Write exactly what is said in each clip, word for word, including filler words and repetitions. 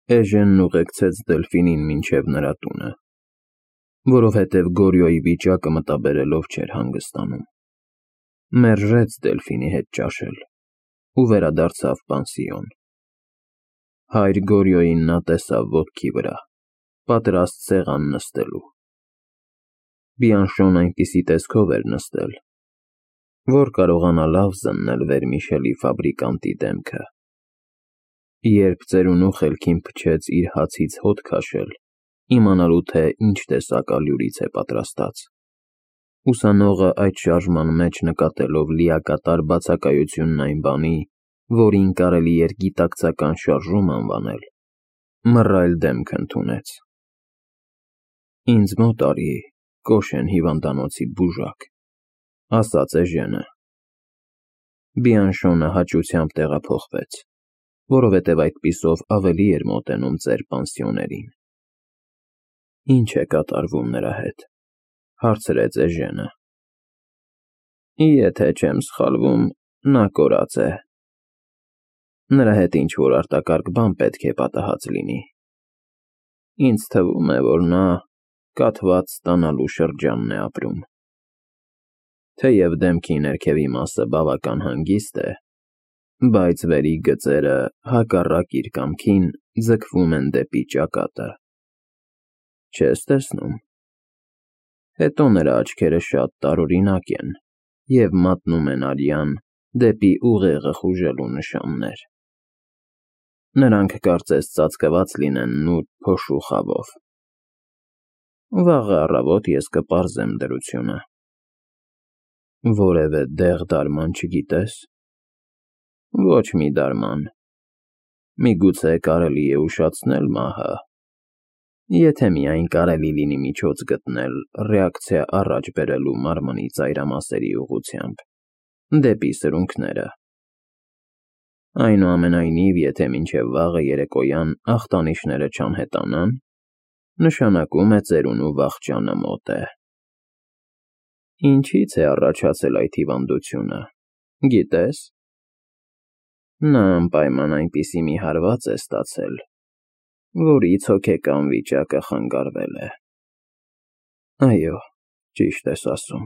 Էժենն ուղեկցեց Դելֆինին մինչև նրա տունը, որովհետև Գորյոյի վիճակը մտաբերելով չէր հանգստանում։ Մերժեց Դելֆինի հետ ճաշել ու վերադարձավ պանսիոն։ Հայր Գորյոյին նա տեսավ ոտքի վրա, պատրաստ սեղան նստելու։ Բիանշոն այնպիսի տեսքով էր նստել, որ կարողանա լավ զննել վերմիշելի ֆաբրիկանտի դեմքը։ Երբ ծերունու խելքին փչեց իր հացից հոտ քաշել, իմանալու թե ինչ տեսակ ալյուրից է պատրաստած, ուսանողը այդ շարժման մեջ նկատելով լիակատար բացակայությունն այն բանի, որին կարելի էր գիտակցական շարժում անվանել, մռայլ դեմք ընդունեց։ Ինձ մոտ արի, Կոշեն հիվանդանոցի բուժակ, ասաց էժենը։ Բիանշոնը հաճությամբ տեղափոխվեց, որովհետև այդպիսով ավելի էր մոտենում ծեր պանսիոներին։ Ինչ է կատարվում նրա հետ, հարցրեց էժենը։ Եթե չեմ սխալվում, նա կորած է։ Նրա հետ ինչ-որ արտակարգ բան պետք է պատահած լինի։ Ինձ թվում է, որ նա կաթված ստանալու շրջանն է ապրում։ Թեև դեմքի ներքևի մասը բավական հանգիստ է, բայց վերի գծերը, հակառակ իր կամքին, ձգվում են դեպի ճակատը։ Չես տեսնում։ Հետո նրա աչքերը շատ տարօրինակ են և մատնում են արյան դեպի ուղեղը խուժելու նշաններ։ Նրանք կարծես ծածկված լինեն նուրբ փոշու խավով։ Վաղը առավոտ ես կպարզեմ դրությունը։ Որևէ դեղ-դարման չգիտես։ Ոչ մի դարման։ Միգուցե կարելի է ուշացնել մահը, եթե միայն կարելի լինի միջոց գտնել ռեակցիա առաջ բերելու մարմնի ծայրամասերի ուղղությամբ, դեպի սրունքները։ Այնուամենայնիվ, եթե մինչև վաղը երեկոյան ախտանիշները չանհետանան, նշանակում է ծերունու վախճանը մոտ է։ Ինչից է առաջացել այդ հիվանդությունը, գիտես։ Նա անպայման այնպիսի մի հարված է ստացել, որից հոգեկան վիճակը խանգարվել է։ Այո, ճիշտ ես ասում,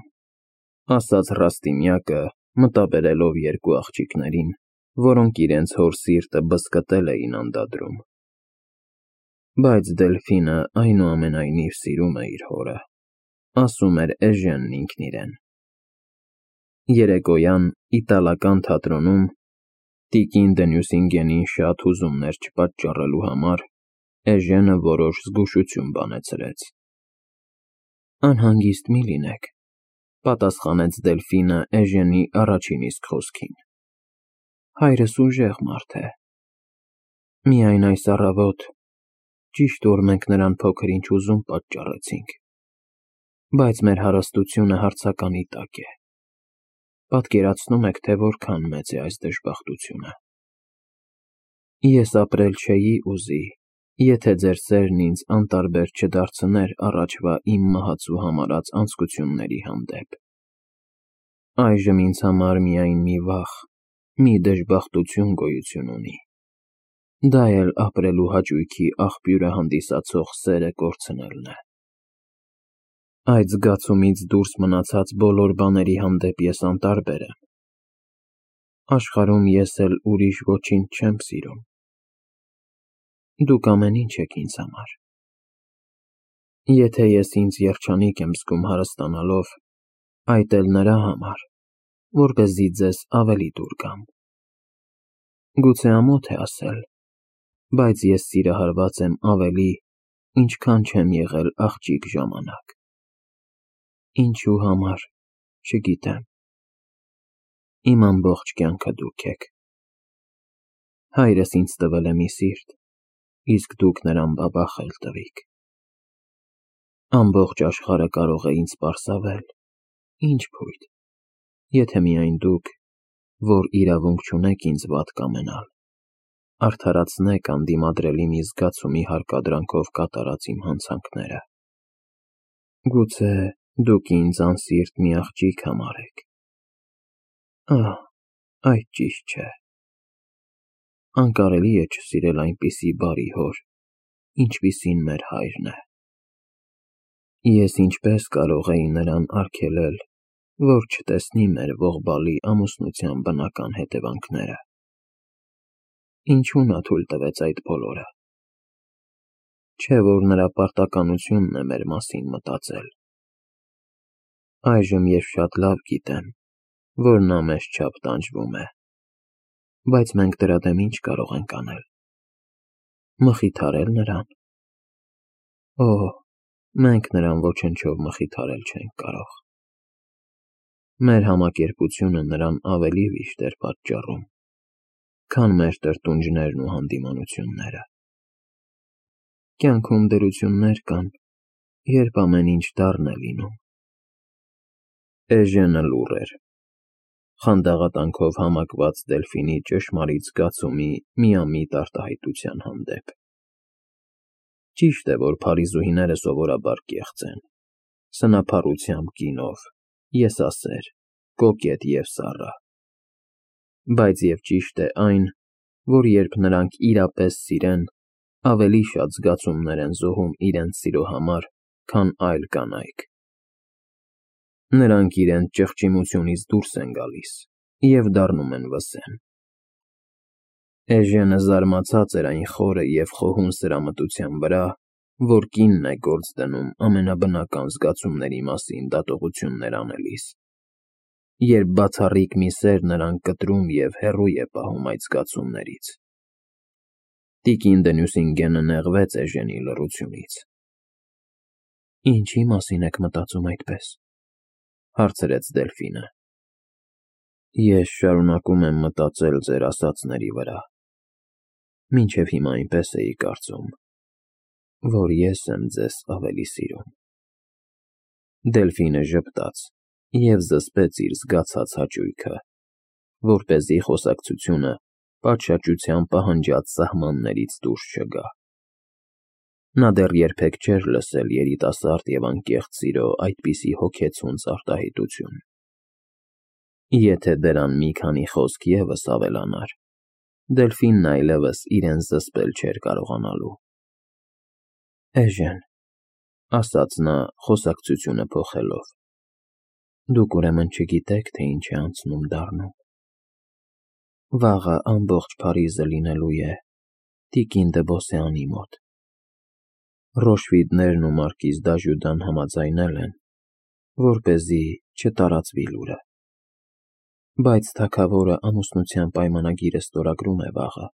ասաց Ռաստինյակը, մտաբերելով երկու աղջիկներին, որոնք իրենց հոր սիրտը բզկտել էին անդադրում։ Բայց Դելֆինը այնուամենայնիվ սիրում է իր հորը, ասում էր էժենն ինքն իրեն։ Երեկոյան իտալական թատրոնում տիկին Դենյուսինգենին շատ հուզումներ չպատճառելու համար էժենը որոշ զգուշություն բանեցրեց։ Անհանգիստ մի լինեք, պատասխանեց Դելֆինը էժենի առաջին իսկ խոսքին։ Հայրս ուժեղ մարդ է։ Միայն այս առավոտ, ճիշտ որ մենք նրան փոքր-ինչ հուզում պատճառեցինք, բայց մեր հարստությունը հարցականի տակ է։ Պատկերացնո՞ւմ եք, թե որքան մեծ է այս դժբախտությունը։ Ես ապրել չէի ուզի, եթե ձեր սերն ինձ անտարբեր չդարձներ առաջվա իմ մահացու համարած անձկությունների հանդեպ։ Այժմ ինձ համար միայն մի վախ, մի դժբախտություն գոյություն ունի։ Դա էլ ապրելու հաճույքի աղբյուրը հանդիսացող սերը կորցնելն է։ Այդ զգացումից դուրս մնացած բոլոր բաների հանդեպ ես անտարբեր եմ։ Աշխարհում ես էլ ուրիշ ոչինչ չեմ սիրում։ Դուք ամեն ինչ եք ինձ համար։ Եթե ես ինձ երջանիկ եմ զգում հարստանալով, այդ էլ նրա համար, որպեսզի ձեզ ավելի դուր գամ։ Գուցե ամոթ է ասել, բայց ես սիրահարված եմ ավելի, ինչքան չեմ եղել աղջիկ ժամանակ։ Ինչու համար, չգիտեմ։ Իմ ամբողջ կյանքը դուք եք։ Հայրս ինձ տվել է մի սիրտ, իսկ դուք նրան բաբախել տվիք։ Ամբողջ աշխարհը կարող է ինձ պարսավել, ինչ փույթ, եթե միայն դուք, որ իրավունք չունեք ինձ վատ կամենալ, արդարացնեք անդիմադրելի մի զգացումի հարկադրանքով կատարած իմ հանցանքները։ Գուցե դուք ինձ անսիրտ մի աղջիկ համարեք։ Ահ, այդ ճիշտ չէ։ Անկարելի է չսիրել այնպիսի բարի հոր, ինչպիսին մեր հայրն է։ Ես ինչպես կարող էի նրան արգելել, որ չտեսնի մեր ողբալի ամուսնության բնական հետևանքները։ Ինչու նա թույլ տվեց այդ բոլորը։ Չէ՞ որ նրա պարտականությունն է մեր մասին մտածել։ Այժմ ես շատ լավ գիտեմ, որ նա մեզ չափ տանջվում է, բայց մենք դրա դեմ ինչ կարող ենք անել։ Մխիթարել նրան։ Օ, մենք նրան ոչնչով մխիթարել չենք կարող։ Մեր համակերպությունը նրան ավելի վիշտ էր պատճառում, քան մեր տրտունջներն ու հանդիմանությունները։ Կյանքում դրություններ կան, երբ ամեն ինչ դառն է լինում։ Էժենը լուռ էր, խանդաղատանքով համակված Դելֆինի ճշմարիտ զգացումի միամիտ արտահայտության հանդեպ։ Ճիշտ է, որ փարիզուհիները սովորաբար կեղծ են, սնափառությամբ կինով, եսասեր, կոկետ և սառը։ Բայց և ճիշտ է այն, որ երբ նրանք իրապես սիրեն, ավելի շատ զգացումներ են զոհում իրենց սիրո համար, քան այլ կանայք։ Նրանք իրենց ճղճիմությունից դուրս են գալիս և դառնում են վսեմ։ Էժենը զարմացած էր այն խորը և խոհուն սրամտության վրա, որ կինն է գործ դնում ամենաբնական զգացումների մասին դատողություններ անելիս, երբ բացառիկ մի սեր նրան կտրում և հեռու է պահում այդ զգացումներից։ Տիկին Դենյուսինգենը նեղվեց էժենի լռությունից։ Ինչի՞ մասին եք մտածում այդպես, հարցրեց Դելֆինը։ Ես շարունակում եմ մտածել ձեր ասածների վրա, մինչև հիմա այնպես էի կարծում, որ ես եմ ձեզ ավելի սիրում։ Դելֆինը ժպտաց և զսպեց իր զգացած հաճույքը, որպեսզի խոսակցությունը պատշաճության պահանջած սահմաններից դուրս չգա։ Նա դեռ երբեք չէր լսել երիտասարդ և անկեղծ սիրո այդպիսի հոգեցունց արտահայտություն։ Եթե դրան մի քանի խոսք ևս ավելանար, Դելֆինն այլևս իրեն զսպել չէր կարողանալու։ Էժեն, ասաց նա խոսակցությունը փոխելով, դուք ուրեմն չգիտեք, թե ինչ է անցնում դառնում։ Վաղը ամբողջ Փարիզը լինելու է տիկին դը Բոսեանի մոտ։ Ռոշվիդներն ու մարկիզ Դաժուդան համաձայնել են, որպեսզի չտարածվի լուրը։ Բայց թագավորը ամուսնության պայմանագիրը ստորագրում է վաղը,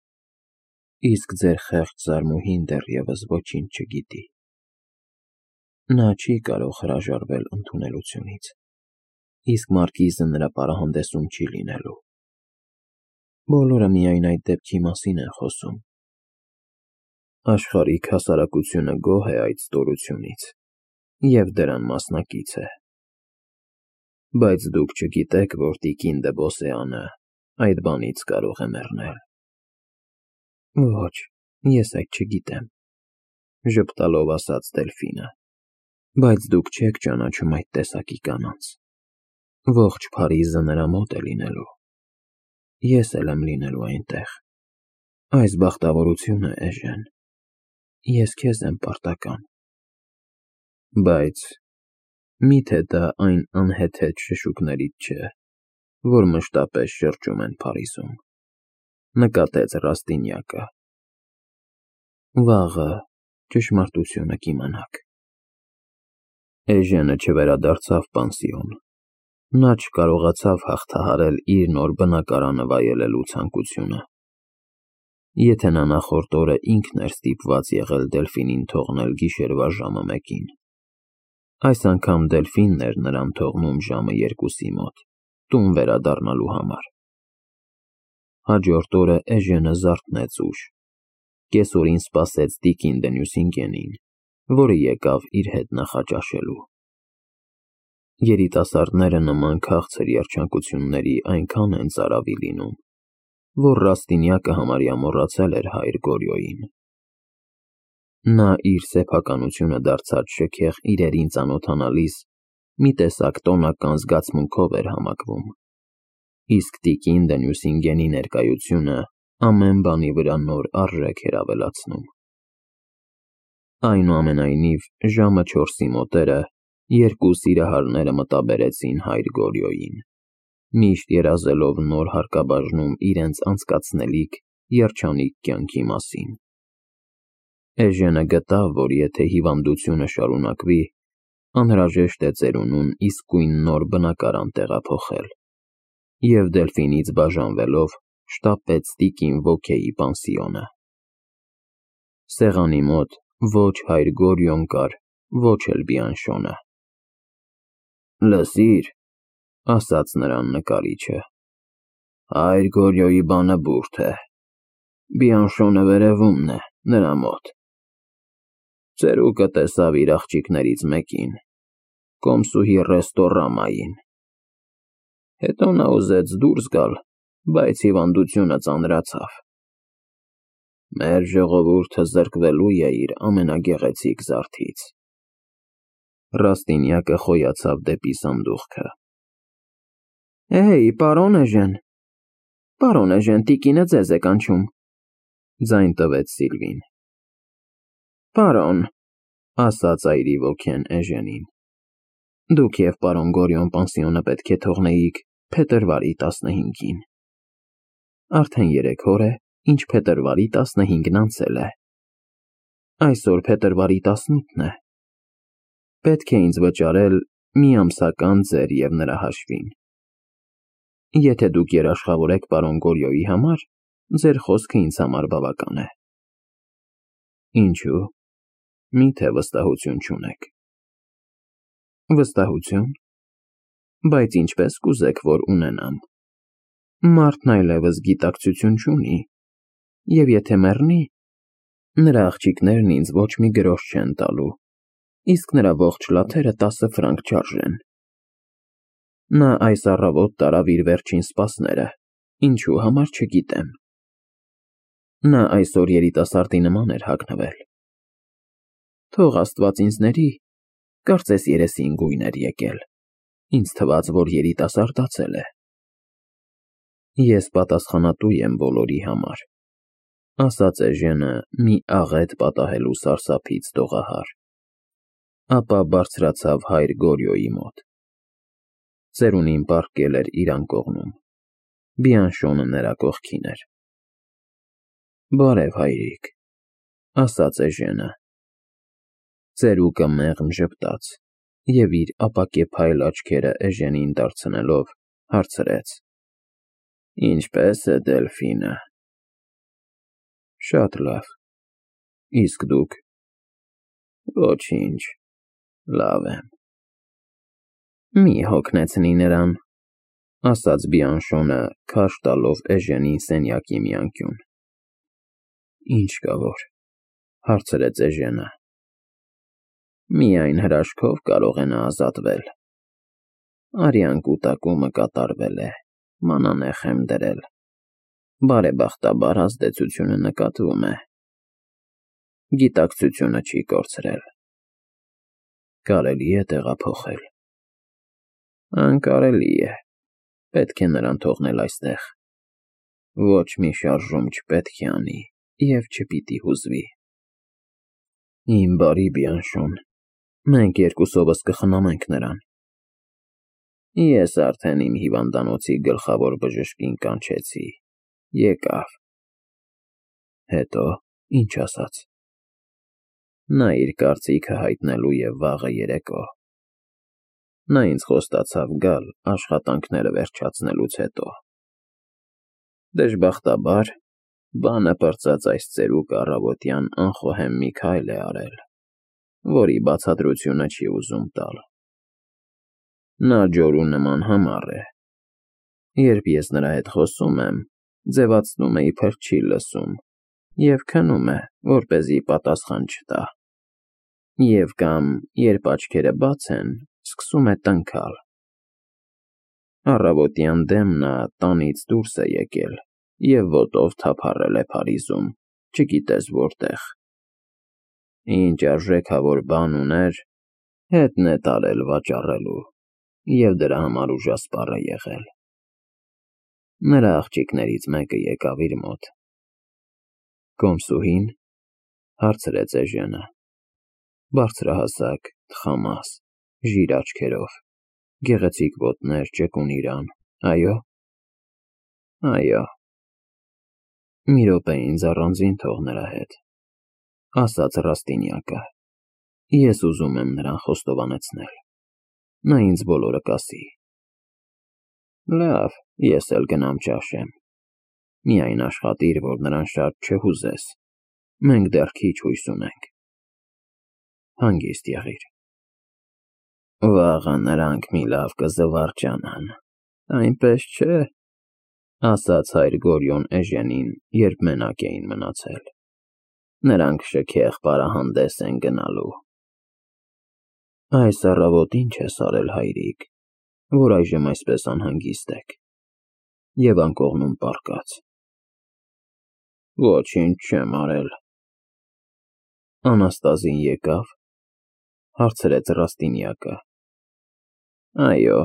իսկ ձեր խեղճ զարմուհին դեռևս ոչինչ չգիտի։ Նա չի կարող հրաժարվել ընդունելությունից, իսկ մարկիզը նրա պարահանդեսում չի լինելու։ Բոլորը միայն այդ դեպքի մասին են խոսում։ Աշխարհիկ հասարակությունը գոհ է այդ ստորությունից և դրան մասնակից է։ Բայց դուք չգիտեք, որ տիկին դը Բոսեանը այդ բանից կարող է մեռնել։ Ոչ, ես այդ չգիտեմ, ժպտալով ասաց Դելֆինը։ Բայց դուք չեք ճանաչում այդ տեսակի կանանց։ Ողջ Փարիզը նրա մոտ է լինելու։ Ես էլ եմ լինելու այնտեղ։ Այս բախտավորություն է, էժեն։ Ես քեզ եմ պարտական։ Բայց մի՞թե դա այն անհեթեթ շշուկներից չէ, որ մշտապես շրջում են Փարիզում, նկատեց Ռաստինյակը։ Վաղը ճշմարտությունը կիմանաք։ Էժենը չվերադարձավ պանսիոն։ Նա չկարողացավ հաղթահարել իր նոր բնակարանը վայելելու ցանկությունը։ Եթե նա նախորդ օրը ինքն էր ստիպված եղել Դելֆինին թողնել գիշերվա ժամը մեկին, այս անգամ Դելֆինն էր նրան թողնում ժամը երկուսի մոտ, տուն վերադառնալու համար։ Հաջորդ օրը Էժենը զարթնեց ուշ, կեսօրին սպասեց տիկին Դենյուսինգենին, որը եկավ իր հետ նախաճաշելու։ Երիտասարդները նման քաղցր երջանկությունների այնքան են ծարավի լինում, որ Ռաստինյակը համարյա մոռացել էր հայր Գորյոյին։ Նա իր սեփականությունը դարձած շքեղ իրերին ծանոթանալիս մի տեսակ տոնական զգացմունքով էր համակվում, իսկ տիկին Դենյուսինգենի ներկայությունը ամեն բանի վրա նոր արժեք էր ավելացնում։ Այնուամենայնիվ, ժամը չորսի մոտերը երկու սիրահարները մտաբերեցին հայր Գորյոյին, միշտ երազելով նոր հարկաբաժնում իրենց անցկացնելիք երջանիկ կյանքի մասին։ Էժենը գտավ, որ եթե հիվանդությունը շարունակվի, անհրաժեշտ է ծերունուն իսկույն նոր բնակարան տեղափոխել, և Դելֆինից բաժանվելով շտապեց տիկին Ոքեի պանսիոնը։ Սեղանի մոտ ոչ հայր Գորյոն կար, ոչ էլ Բիանշոնը։ «Լսիր», ասաց նրան նկարիչը, «հայր Գորյոյի բանը բուրդ է, Բիանշոնը վերևումն է, նրա մոտ։ Ծերուկը տեսավ իր աղջիկներից մեկին, կոմսուհի Ռեստորամային։ Հետո նա ուզեց դուրս գալ, բայց հիվանդությունը ծանրացավ։ Մեր ժողովուրդը զրկվելու է իր ամենագեղեցիկ զարդից»։ Ռաստինյակը խոյացավ դեպի սանդուղքը։ «Էհեյ, պարոն էժեն, պարոն էժեն, տիկինը ձեզ է կանչում», ձայն տվեց Սիլվին։ «Պարոն», ասաց այրի ոգին էժենին, «դուք և պարոն Գորյոն պանսիոնը պետք է թողնեիք փետրվարի տասնհինգին։ Արդեն երեք օր է, ինչ փետրվարի տասնհինգն անցել է։ Այսօր փետրվարի տասնութն է։ Պետք է ինձ վճարել մի ամսական ձեր և նրա հաշվին։ Եթե դուք երաշխավոր եք պարոն Գորյոյի համար, ձեր խոսքը ինձ համար բավական է»։ «Ինչո՞ւ, մի՞թե վստահություն չունեք»։ «Վստահություն, բայց ինչպես կուզեք, որ ունենամ։ Մարդն այլևս գիտակցություն չունի, և եթե մեռնի, նրա աղջիկներն ինձ ոչ մի գրոշ չեն տալու, իսկ նրա ողջ լաթերը տասը ֆրանկ չարժեն։ Նա այս առավոտ տարավ իր վերջին սպասները, ինչու համար չգիտեմ։ Նա այսօր երիտասարդի նման էր հագնվել։ Թող Աստված ինձ ների, կարծես երեսին գույն էր եկել, ինձ թվաց, որ երիտասարդացել է։ Ես պատասխանատու եմ բոլորի համար», ասաց էժենը մի աղետ պատահելու սարսափից դողահար, ապա բարձրացավ հայր Գորյոյի մոտ։ Ծերունին պառկել էր իր անկողնում, Բիանշոնը նրա կողքին էր։ «Բարև, հայրիկ», ասաց էժենը։ Ծերուկը մեղմ ժպտաց և իր ապակեպայլ աչքերը էժենին դարձնելով հարցրեց. «Ինչպե՞ս է Դելֆինը»։ «Շատ լավ, իսկ դուք»։ «Ոչինչ, լավ եմ»։ «Մի հոգնեցնի նրան», ասաց Բիանշոնը, քարշ տալով էժենին սենյակի մի անկյուն։ «Ինչ կա որ», հարցրեց էժենը։ «Միայն հրաշքով կարող է նա ազատվել։ Արյան կուտակումը կատարվել է, մանանեխ եմ դրել, բարեբախտաբար ազդեցությունը նկատվում է։ Գիտակցությունը չի կորցրել։ Կարելի է տեղափոխել»։ «Անկարելի է, պետք է նրան թողնել այստեղ։ Ոչ մի շարժում չպետք է անի և չպիտի հուզվի»։ «Իմ բարի Բիանշոն, մենք երկուսովս կխնամենք նրան»։ «Ես արդեն իմ հիվանդանոցի գլխավոր բժշկին կանչեցի, եկավ»։ «Հետո ի՞նչ ասաց»։ «Նա իր կարծիքը հայտնելու է վաղը երեկո։ Նա ինձ խոստացավ գալ աշխատանքները վերջացնելուց հետո։ Դժբախտաբար, բանը պրծած այս ծերուկը առավոտյան անխոհեմ մի քայլ է արել, որի բացատրությունը չի ուզում տալ։ Նա ջորու նման համառ է։ Երբ ես նրա հետ խոսում եմ, ձևացնում է, իբր չի լսում, և քնում է, որպեսզի պատասխան չտա։ Եվ կամ, երբ աչքերը բաց են, սկսում է տնքալ։ Առավոտյան դեմ նա տանից դուրս է եկել և ոտով թափառել է Փարիզում, չգիտես որտեղ։ Ինչ արժեքավոր բան ուներ, հետն է տարել վաճառելու և դրա համար ուժասպառ է եղել։ Նրա աղջիկներից մեկը եկավ իր մոտ։ «Կոմսուհի՞ն», հարցրեց էժենը։ Բարձրահասակ, թխամաս, ժիր աչքերով, գեղեցիկ ոտներ, ճկուն իրան, այո՞։ Այո։ Մի րոպե ինձ առանձին թող նրա հետ, ասաց Ռաստինյակը, ես ուզում եմ նրան խոստովանեցնել, նա ինձ բոլորը կասի։ Լավ, ես էլ գնամ ճաշեմ, միայն աշխատիր, որ նրան շատ չհուզես, մենք դեռ քիչ հույս ունենք։ Հանգիստ եղիր։ Վաղը նրանք մի լավ կզվարճանան, այնպես չէ՞, ասաց հայր Գորյուն Էժենին, երբ մենակ էին մնացել։ Նրանք շքեղ պարահանդես են գնալու։ Այս առավոտ ինչ ես արել, հայրիկ, որ այժմ այսպես անհանգիստ եք և անկողնում պառկած։ Ոչինչ չեմ արել։ Անաստազին եկավ, հարցրեց Ռաստինյակը։ Այո,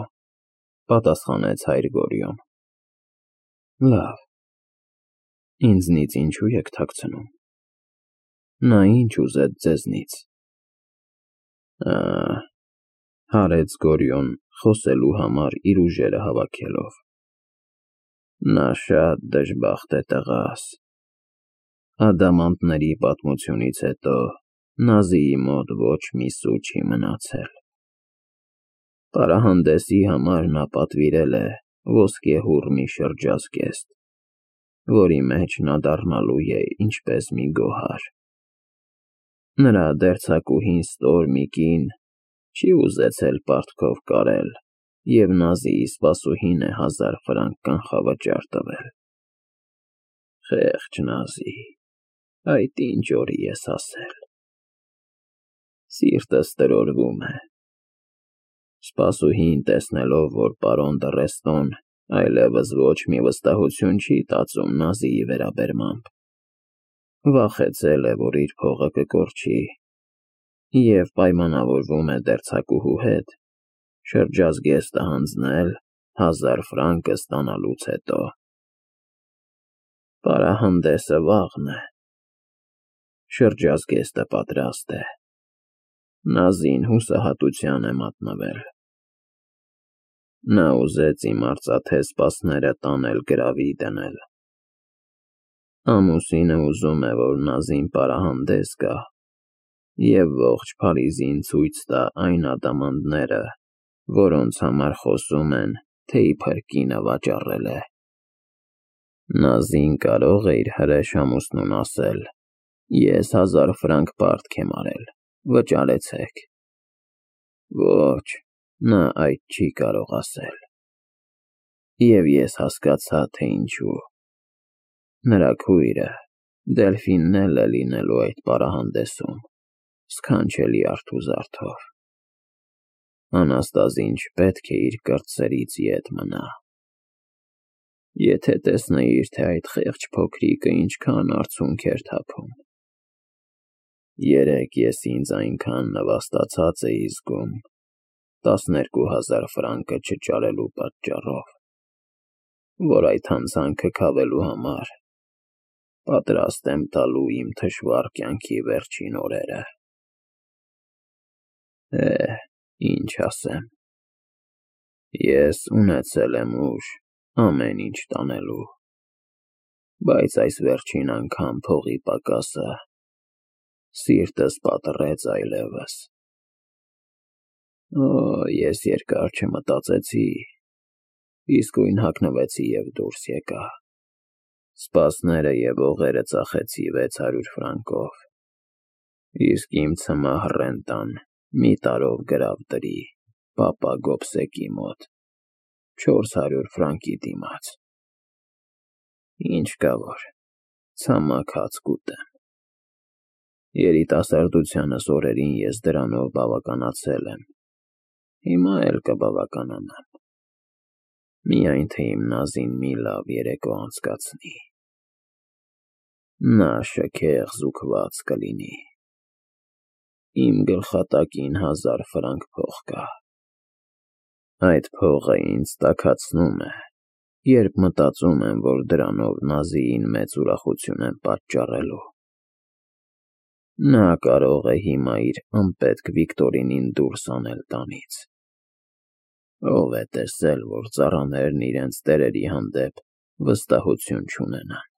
պատասխանեց հայր Գորյուն։ Լավ, ինձնից ինչու եք թաքցնում։ Նա ինչ ուզեց ձեզնից։ Ա, հարեց Գորյուն, խոսելու համար իր ուժերը հավաքելով։ Նա շատ դժբախտ է տղաս։ Ադամանդների պատմությունից հետո Նազիի մոտ ոչ մի սու չի մնացել։ Պարահանդեսի համար նա պատվիրել է ոսկեհուռ մի շրջազգեստ, որի մեջ նա դառնալու է ինչպես մի գոհար։ Նրա դերձակուհին ստոր մի կին չի ուզեցել պարտքով կարել և Նազիի սպասուհին է հազար ֆրանկ կանխավճար տվել։ Խեղճ Նազի, այդ ինչ օրի ես հասել։ Սիրտս տրորվում է։ Սպասուհին, տեսնելով, որ պարոն Դռեստոն այլևս ոչ մի վստահություն չի տածում Նազիի վերաբերմամբ, վախեցել է, որ իր փողը կկորչի և պայմանավորվում է դերձակուհու հետ շրջազգեստը հանձնել հազար ֆրանկը ստանալուց հետո։ Պարահանդեսը վաղն է։ Շրջազգեստը պատրաստ է։ Նազին հուսահատության է մատնվել։ Նա ուզեց իմ արծաթե սպասները տանել գրավի դնել։ Ամուսինը ուզում է, որ Նազին պարահանդես գա և ողջ Փարիզին ցույց տա այն ադամանդները, որոնց համար խոսում են, թե իբր կինը վաճառել է։ Նազին կարող է իր հրեշ ամուսնուն ասել. ես հազար ֆրանկ պարտք եմ արել, վճարեցեք։ Ոչ, նա այդ չի կարող ասել։ Եվ ես հասկացա, թե ինչու։ Նրա քույրը Դելֆինն էլ է լինելու այդ պարահանդեսում, սքանչելի արթուզարդով։ Անաստազին չպետք է իր կրտսերից ետ մնա։ Եթե տեսնեիր, թե այդ խեղճ փոքրիկը ինչքան արցունք էր թափում։ Երեկ ես ինձ այնքան նվաստացած էի զգում տասներկու հազար ֆրանկը չճարելու պատճառով, որ այդ հանցանքը քավելու համար պատրաստ եմ տալու իմ թշվառ կյանքի վերջին օրերը։ Է, ինչ ասեմ։ Ես ունեցել եմ ուժ ամեն ինչ տանելու, բայց այս վերջին անգամ փողի պակասը սիրտս պատռեց այլևս։ Օ, ես երկար չմտածեցի, իսկույն հագնվեցի և դուրս եկա։ Սպասները և օղերը ծախեցի վեց հարյուր ֆրանկով, իսկ իմ ցմահ ռենտան մի տարով գրավ դրի պապա Գոբսեկի մոտ չորս հարյուր ֆրանկի դիմաց։ Ինչ կա որ, ցամաք հաց կուտեմ։ Երիտասարդությանս օրերին ես դրանով բավականացել եմ, հիմա էլ կբավականանամ, միայն թե իմ Նազին մի լավ երեկո անցկացնի։ Նա շքեղ զուգված կլինի։ Իմ գլխատակին հազար ֆրանկ փող կա։ Այդ փողը ինձ տաքացնում է, երբ մտածում եմ, որ դրանով Նազիին մեծ ուրախություն եմ պատճառելու։ Նա կարող է հիմա իր անպետք Վիկտորինին դուրս անել տանից։ Ո՞վ է տեսել, որ ծառաներն իրենց տերերի հանդեպ վստահություն չունենան։